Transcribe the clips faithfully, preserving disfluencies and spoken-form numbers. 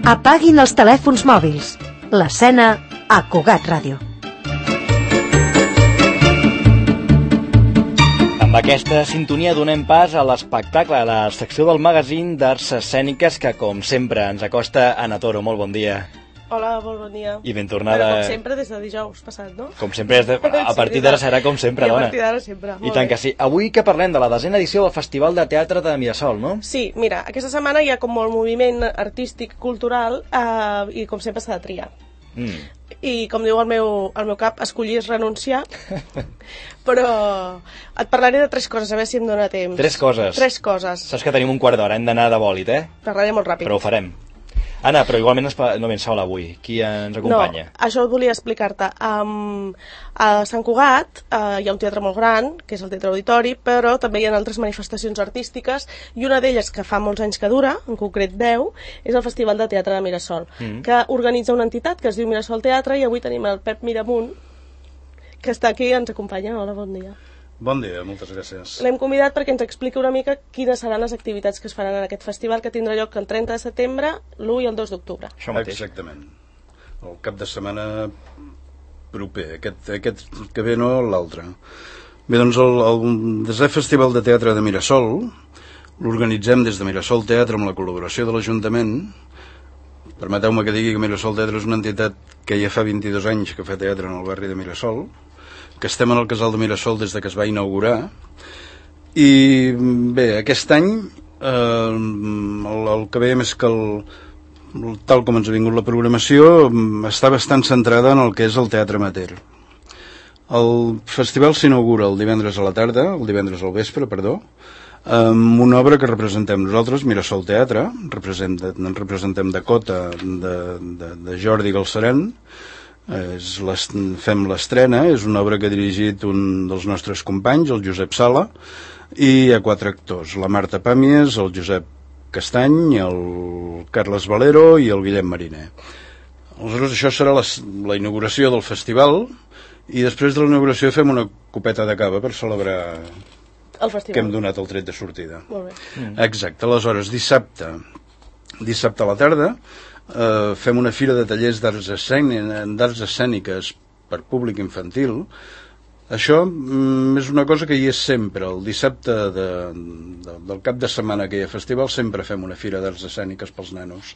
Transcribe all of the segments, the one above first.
Apaguin els telèfons mòbils. L'escena a Cugat Ràdio. Amb aquesta sintonia donem pas a l'espectacle, a la secció del magazín d'arts escèniques que, com sempre, ens acosta Anna Toro. Molt bon dia. Hola, molt bon dia. I ben tornada. Però com sempre des de dijous passat, no? Com sempre, de... a partir d'ara serà com sempre, dona. I a partir d'ara sempre. I tant que sí. Avui que parlem de la desena edició del Festival de Teatre de Mirasol, no? Sí, mira, aquesta setmana hi ha com molt moviment artístic, cultural, eh, i com sempre s'ha de triar. Mm. I com diu el meu, el meu cap, escollir és renunciar. Però et parlaré de tres coses, a veure si em dóna temps. Tres coses? Tres coses. Saps que tenim un quart d'hora, hem d'anar de bòlit, eh? Parlaré molt ràpid. Però ho farem. Anna, però igualment no vens sola avui. Qui ens acompanya? No, això volia explicar-te. Um, a Sant Cugat uh, hi ha un teatre molt gran, que és el Teatre Auditori, però també hi ha altres manifestacions artístiques, i una d'elles, que fa molts anys que dura, en concret deu, és el Festival de Teatre de Mirasol, mm. que organitza una entitat que es diu Mirasol Teatre, i avui tenim el Pep Miramunt, que està aquí i ens acompanya. Hola, bon dia. Bon dia, moltes gràcies. L'hem convidat perquè ens expliqui una mica quines seran les activitats que es faran en aquest festival, que tindrà lloc el trenta de setembre, l'u i el dos d'octubre. Exactament. El cap de setmana proper, aquest, aquest que ve no l'altre. Bé, doncs el, el desè Festival de Teatre de Mirasol l'organitzem des de Mirasol Teatre amb la col·laboració de l'Ajuntament. Permeteu-me que digui que Mirasol Teatre és una entitat que ja fa vint-i-dos anys que fa teatre en el barri de Mirasol, que estem en el Casal de Mirasol des de que es va inaugurar, i bé, aquest any eh, el, el que veiem és que el, tal com ens ha vingut la programació està bastant centrada en el que és el teatre amateur. El festival s'inaugura el divendres a la tarda, el divendres al vespre, perdó, amb una obra que representem nosaltres, Mirasol Teatre, representem, representem Dakota de, de, de Jordi Galceran. És fem l'estrena, és una obra que ha dirigit un dels nostres companys, el Josep Sala, i hi ha quatre actors, la Marta Pàmies, el Josep Castany, el Carles Valero i el Guillem Mariner. Aleshores, això serà la, la inauguració del festival, i després de la inauguració fem una copeta de cava per celebrar el festival, que hem donat el tret de sortida. Molt bé. Mm. Exacte, aleshores dissabte dissabte a la tarda Uh, fem una fira de tallers d'arts escèniques per públic infantil. Això mm, és una cosa que hi és sempre. El dissabte de, de, del cap de setmana que hi ha festival sempre fem una fira d'arts escèniques pels nanos,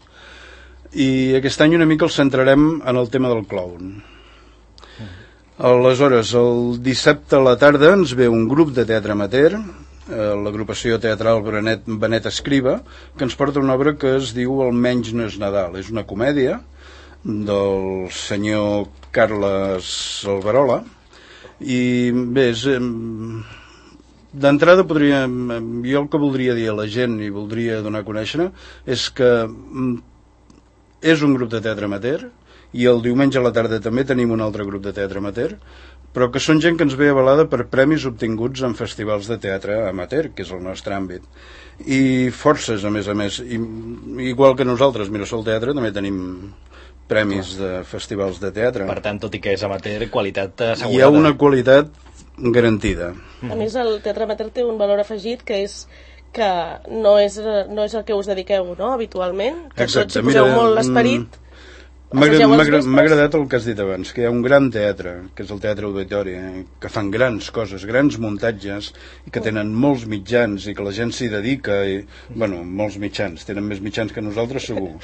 i aquest any una mica el centrarem en el tema del clown. Aleshores, el dissabte a la tarda ens ve un grup de teatre amateur, l'agrupació teatral Benet, Benet Escriba, que ens porta una obra que es diu El menys no és Nadal. És una comèdia del senyor Carles Alberola, i bé, és, d'entrada podria, jo el que voldria dir a la gent i voldria donar a conèixer és que és un grup de teatre amateur, i el diumenge a la tarda també tenim un altre grup de teatre amateur, però que són gent que ens ve avalada per premis obtinguts en festivals de teatre amateur, que és el nostre àmbit, i forces, a més a més, I, igual que nosaltres, Mirasol Teatre, també tenim premis de festivals de teatre. Per tant, tot i que és amateur, qualitat assegurada. Hi ha una qualitat garantida. A més, el teatre amateur té un valor afegit, que és que no és, no és el que us dediqueu, no?, habitualment, que Exacte, tots hi poseu mira, molt l'esperit. M'ha agradat, agradat el que has dit abans, que hi ha un gran teatre, que és el Teatre Auditori, que fan grans coses, grans muntatges, i que tenen molts mitjans, i que la gent s'hi dedica, i, bueno, molts mitjans, tenen més mitjans que nosaltres segur,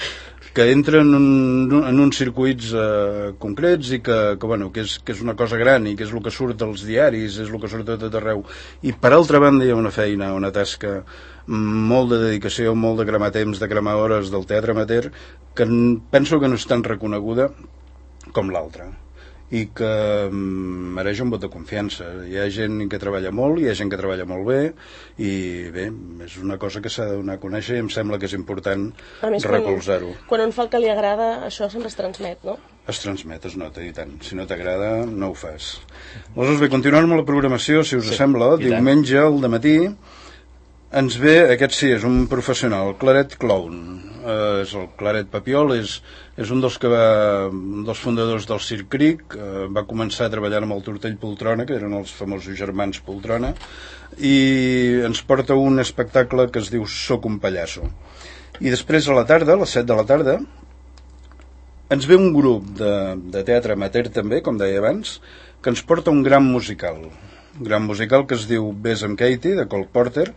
que entren en, un, en uns circuits eh, concrets, i que, que, bueno, que, és, que és una cosa gran, i que és el que surt als diaris, és el que surt a tot arreu. I per altra banda hi ha una feina, una tasca, molt de dedicació, molt de cremar temps, de cremar hores del teatre amateur, que penso que no és tan reconeguda com l'altra, i que mereix un vot de confiança. Hi ha gent que treballa molt, hi ha gent que treballa molt bé, i bé, és una cosa que s'ha de donar a conèixer, i em sembla que és important recolzar-ho. Quan, quan un fa el que li agrada, això sempre es transmet, no? Es transmet, es nota, i tant. Si no t'agrada, no ho fas. Aleshores, bé, continuant amb la programació, si us sí, sembla, diumenge al dematí ens ve, aquest sí, és un professional, Claret Clown. Eh, és el Claret Papiol, és, és un dels que va, un dels fundadors del Circ Cric, eh, va començar treballant amb el Tortell Poltrona, que eren els famosos germans Poltrona, i ens porta un espectacle que es diu Soc un pallasso. I després a la tarda, a les set de la tarda, ens ve un grup de, de teatre amateur també, com deia abans, que ens porta un gran musical. Un gran musical que es diu Bess amb Katie, de Cole Porter.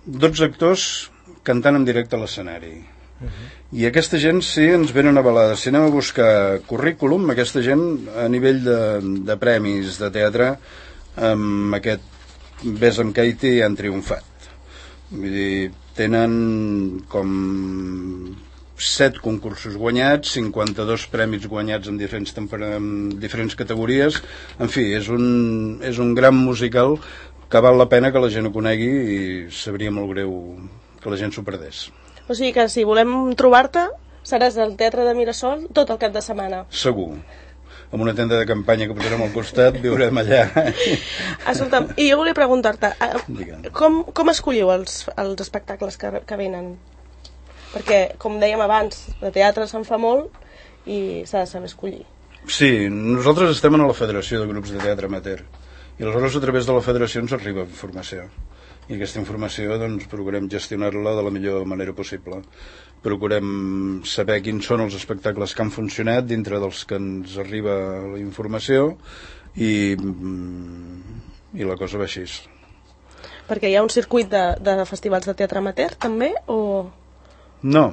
dotze actors cantant en directe a l'escenari. Uh-huh. I aquesta gent sí ens venen avalada. Si anem a buscar currículum, aquesta gent a nivell de, de premis de teatre, amb aquest Bess amb Katie han triomfat. Vull dir, tenen com set concursos guanyats, cinquanta-dos premis guanyats en diferents, en diferents categories. En fi, és un, és un gran musical que val la pena que la gent ho conegui i sabria molt greu que la gent s'ho perdés. O sigui que si volem trobar-te, seràs al Teatre de Mirasol tot el cap de setmana. Segur. Amb una tenda de campanya que posarem al costat, viurem allà. Escolta'm, i jo volia preguntar-te, com, com escolliu els, els espectacles que, que venen? Perquè, com dèiem abans, de teatre se'n fa molt i s'ha de saber escollir. Sí, nosaltres estem a la Federació de Grups de Teatre Amateur i aleshores a través de la federació ens arriba informació. I aquesta informació doncs, procurem gestionar-la de la millor manera possible. Procurem saber quins són els espectacles que han funcionat dintre dels que ens arriba la informació i, i la cosa va així. Perquè hi ha un circuit de, de festivals de teatre amateur també o...? No,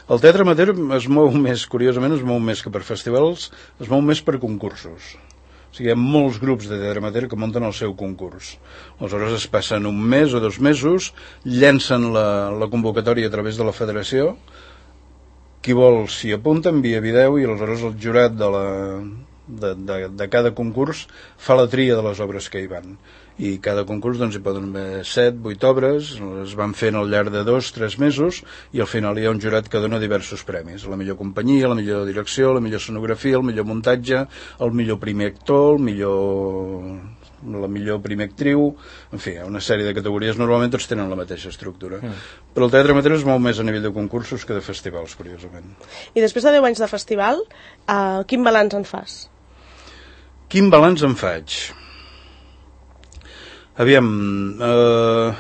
el teatre amateur es mou més, curiosament es mou més que per festivals, es mou més per concursos. O sigui, hi ha molts grups de teatre amateur que munten el seu concurs. Aleshores es passen un mes o dos mesos, llencen la, la convocatòria a través de la federació, qui vol s'hi apunta, envia vídeo i aleshores el jurat de, la, de, de, de cada concurs fa la tria de les obres que hi van. I cada concurs doncs, hi poden haver set, vuit obres, es van fent al llarg de dos, tres mesos i al final hi ha un jurat que dona diversos premis. La millor companyia, la millor direcció, la millor escenografia, el millor muntatge, el millor primer actor, el millor... la millor primer actriu, en fi, una sèrie de categories, normalment tots tenen la mateixa estructura. Mm. Però el teatre amateur es mou més a nivell de concursos que de festivals, curiosament. I després de deu anys de festival, uh, quin balanç en fas? Quin balanç en faig? Aviam, eh,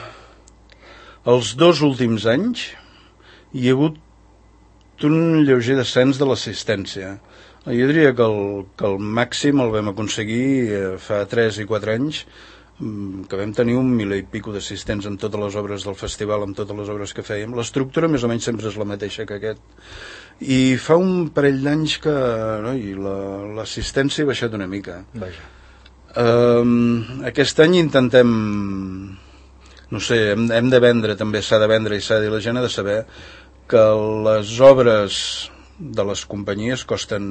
els dos últims anys hi ha hagut un lleuger descens de l'assistència. Jo diria que el, que el màxim el vam aconseguir eh, fa tres i quatre anys, que vam tenir un mil i pico d'assistents en totes les obres del festival, amb totes les obres que fèiem. L'estructura més o menys sempre és la mateixa que aquest. I fa un parell d'anys que no, i la, l'assistència ha baixat una mica. Vaja. Uh, aquest any intentem, no sé, hem, hem de vendre, també s'ha de vendre i s'ha de dir, la gent ha de saber que les obres de les companyies costen,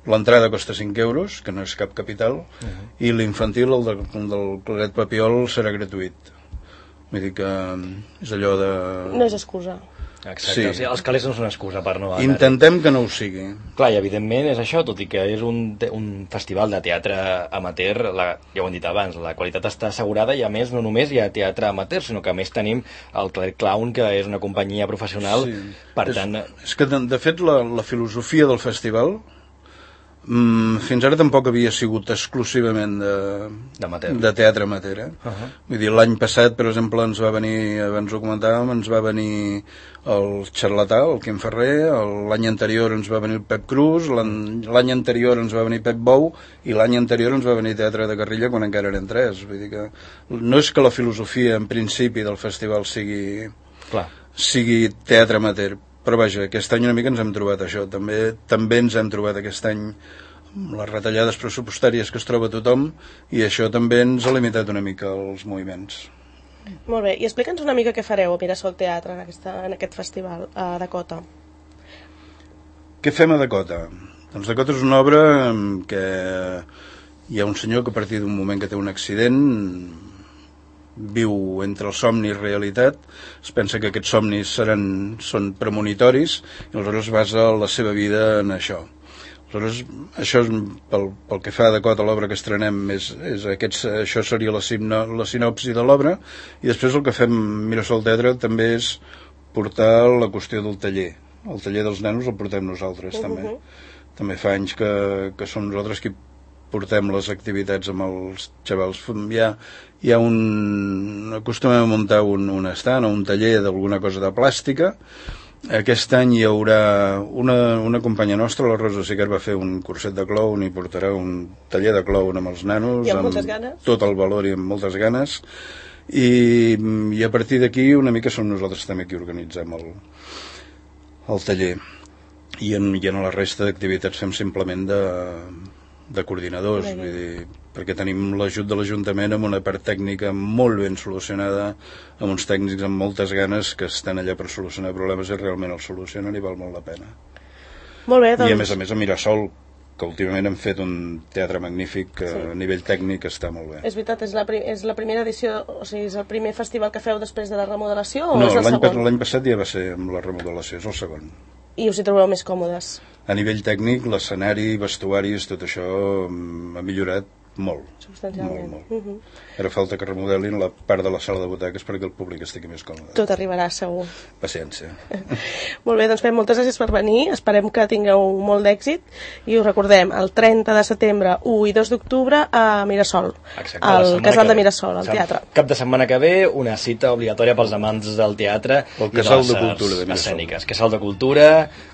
l'entrada costa cinc euros, que no és cap capital, uh-huh. i l'infantil, el del, del Claret Papiol, serà gratuït. Vull dir que és allò de... No és excusa. Exacte, sí. O sigui, els calés no són excusa per no anar. Intentem que no ho sigui. Clar, i evidentment és això, tot i que és un, un festival de teatre amateur, la, ja ho hem dit abans, la qualitat està assegurada i a més no només hi ha teatre amateur, sinó que a més tenim el Claret Clown, que és una companyia professional, sí. Per és, tant... És que de, de fet la, la filosofia del festival mm, fins ara tampoc havia sigut exclusivament de, de teatre amateur. Eh? Uh-huh. Vull dir, l'any passat, per exemple, ens va venir, abans ho comentàvem, ens va venir el Xarlatà, el Quim Ferrer, l'any anterior ens va venir el Pep Cruz, l'any anterior ens va venir Pep Bou i l'any anterior ens va venir Teatre de Guerrilla quan encara eren tres. Vull dir que no és que la filosofia en principi del festival sigui, Clar. sigui teatre amateur, però vaja, aquest any una mica ens hem trobat això. També, també ens hem trobat aquest any les retallades pressupostàries que es troba tothom i això també ens ha limitat una mica els moviments. Molt bé, i explica'ns una mica què fareu a Mirasol Teatre en, aquesta, en aquest festival a Dakota. Què fem a Dakota? Doncs Dakota és una obra en què hi ha un senyor que a partir d'un moment que té un accident viu entre el somni i realitat, es pensa que aquests somnis seran, són premonitoris i aleshores basa la seva vida en això. Aleshores, això és pel, pel que fa a Dakota, l'obra que estrenem és, és aquests, això seria la, simno, la sinopsi de l'obra i després el que fem Mirasol Teatre també és portar la qüestió del taller. El taller dels nenos el portem nosaltres, uh-huh. també. També fa anys que, que som nosaltres qui portem les activitats amb els xavals. Hi ha, hi ha un... acostumem a muntar un, un estant o un taller d'alguna cosa de plàstica Aquest any hi haurà una, una companya nostra, la Rosa Siquer, va fer un curset de clown i portarà un taller de clown amb els nanos. I amb moltes ganes. Tot el valor i amb moltes ganes. I, i a partir d'aquí una mica som nosaltres també qui organitzem el, el taller. I en, i en la resta d'activitats fem simplement de, de coordinadors, vull dir, perquè tenim l'ajut de l'Ajuntament amb una part tècnica molt ben solucionada, amb uns tècnics amb moltes ganes que estan allà per solucionar problemes i realment els solucionen i val molt la pena. Molt bé, doncs... I a més a més a Mirasol, que últimament hem fet un teatre magnífic que sí. A nivell tècnic està molt bé. És veritat, és la, és la primera edició, o sigui, és el primer festival que feu després de la remodelació o no, és el segon? No, l'any passat ja va ser amb la remodelació, és el segon. I us hi trobeu més còmodes? A nivell tècnic, l'escenari, vestuaris, tot això ha millorat molt. Substancialment. Molt, molt. Uh-huh. Ara falta que remodelin la part de la sala de butaques perquè el públic estigui més còmode. Tot arribarà, segur. Paciència. Molt bé, doncs fem moltes gràcies per venir. Esperem que tingueu molt d'èxit i us recordem, el trenta de setembre, u i dos d'octubre a Mirasol. Exacte, al Casal de Mirasol, al Sam, teatre. Cap de setmana que ve, una cita obligatòria pels amants del teatre el Casal de, de Cultura de Mirasol. Escèniques. Casal de Cultura,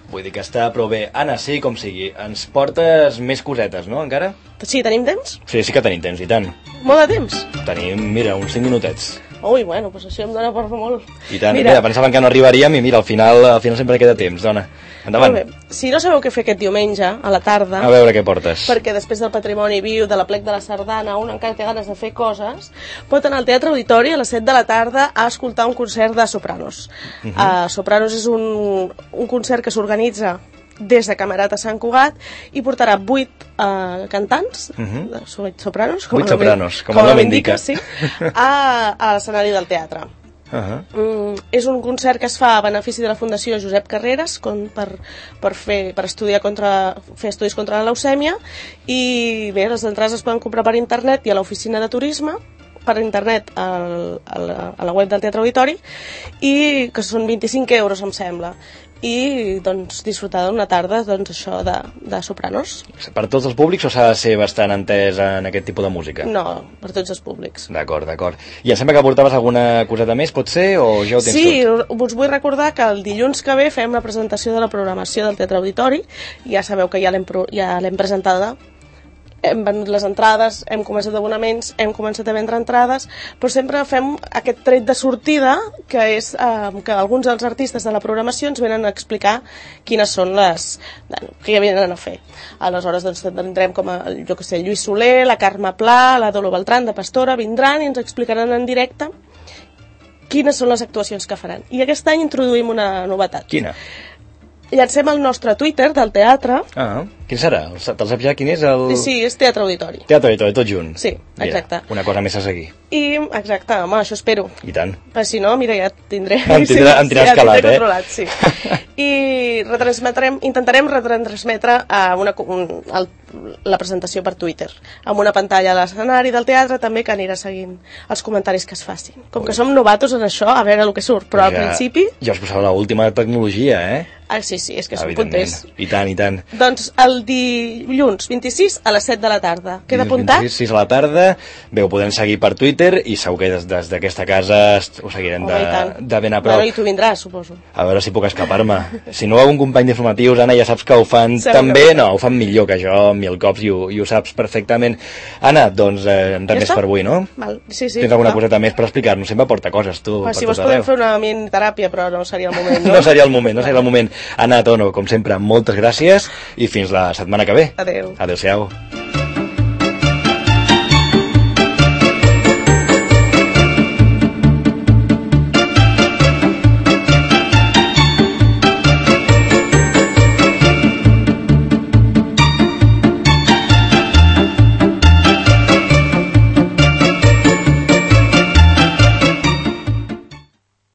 vull dir que està prou bé. Anna, sí, com sigui, ens portes més cosetes, no, encara? Sí, tenim temps? Sí, sí que tenim temps, i tant. Molt de temps? Tenim, mira, uns cinc minutets. Ui, bueno, doncs això em dona per molt. I tant, mira, mira, pensàvem que no arribaríem i mira, al final, al final sempre queda temps, dona. Endavant. Molt bé. Si no sabeu què fer aquest diumenge, a la tarda... A veure què portes. Perquè després del Patrimoni Viu, de la Plec de la Sardana, un encara té ganes de fer coses, pot anar al Teatre Auditori a les set de la tarda a escoltar un concert de sopranos. Uh -huh. uh, sopranos és un, un concert que s'organitza des de Camerat a Sant Cugat i portarà vuit uh, cantants, uh -huh. sopranos, com vuit sopranos, com, com el nom indica, sí, a, a l'escenari del teatre. Uh -huh. mm, és un concert que es fa a benefici de la Fundació Josep Carreras com per, per, fer, per estudiar contra, fer estudis contra la leucèmia i bé, les entrades es poden comprar per internet i a l'oficina de turisme per internet al, a, la, a la web del Teatre Auditori i que són vint-i-cinc euros em sembla i doncs disfrutar d'una tarda doncs això de, de sopranos. Per tots els públics o s'ha de ser bastant entès en aquest tipus de música? No, per tots els públics. D'acord, d'acord. I em sembla que portaves alguna coseta més, pot ser, o ja ho tens sí, tot? Sí, us vull recordar que el dilluns que ve fem la presentació de la programació del Teatre Auditori, ja sabeu que ja l'hem ja l'hem presentada, hem venut les entrades, hem començat abonaments, hem començat a vendre entrades, però sempre fem aquest tret de sortida, que és eh, que alguns dels artistes de la programació ens venen a explicar quines són les... que ja venen a fer. Aleshores, doncs, tindrem com a, jo que sé, Lluís Soler, la Carme Pla, la Dolo Beltrán de Pastora, vindran i ens explicaran en directe quines són les actuacions que faran. I aquest any introduïm una novetat. Quina? Llancem el nostre Twitter del teatre. Ah, quin serà? Te'l saps ja quin és? El... Sí, és Teatre Auditori. Teatre Auditori, tot junt. Sí, exacte. Mira, una cosa més a seguir. I, exacte, home, això espero. I tant. Però si no, mira, ja et tindré... Em tindrà, em tindràs sí, calat, eh? Controlat, sí. I retransmetrem, intentarem retransmetre a una, un, el, la presentació per Twitter, amb una pantalla a l'escenari del teatre també que anirà seguint els comentaris que es facin. Com que som novatos en això, a veure el que surt, però al ja, principi... Ja us posava l'última tecnologia, eh? Ah, sí, sí, és que som punters. I tant, i tant. Doncs el dilluns vint-i-sis a les set de la tarda. Queda apuntat? vint-i-sis, sis a la tarda. Bé, ho podem seguir per Twitter i segur que des, des d'aquesta casa ho seguirem de, de ben a prop. Bueno, i tu vindràs, suposo. A veure si puc escapar-me. Si no, un company d'informatius, Anna, ja saps que ho fan segur també, que no, ho fan millor que jo, mil cops, i ho, i ho saps perfectament. Anna, doncs, eh, res ja més per avui, no? Val. Sí, sí. Tens alguna coseta més per explicar-nos? Sempre porta coses, tu. Ah, si vols podem fer una mini-teràpia, però no seria el moment, no? No seria el moment, no seria el moment. Anna Tono, com sempre, moltes gràcies i fins la setmana que ve. Adéu. Adéu-siau.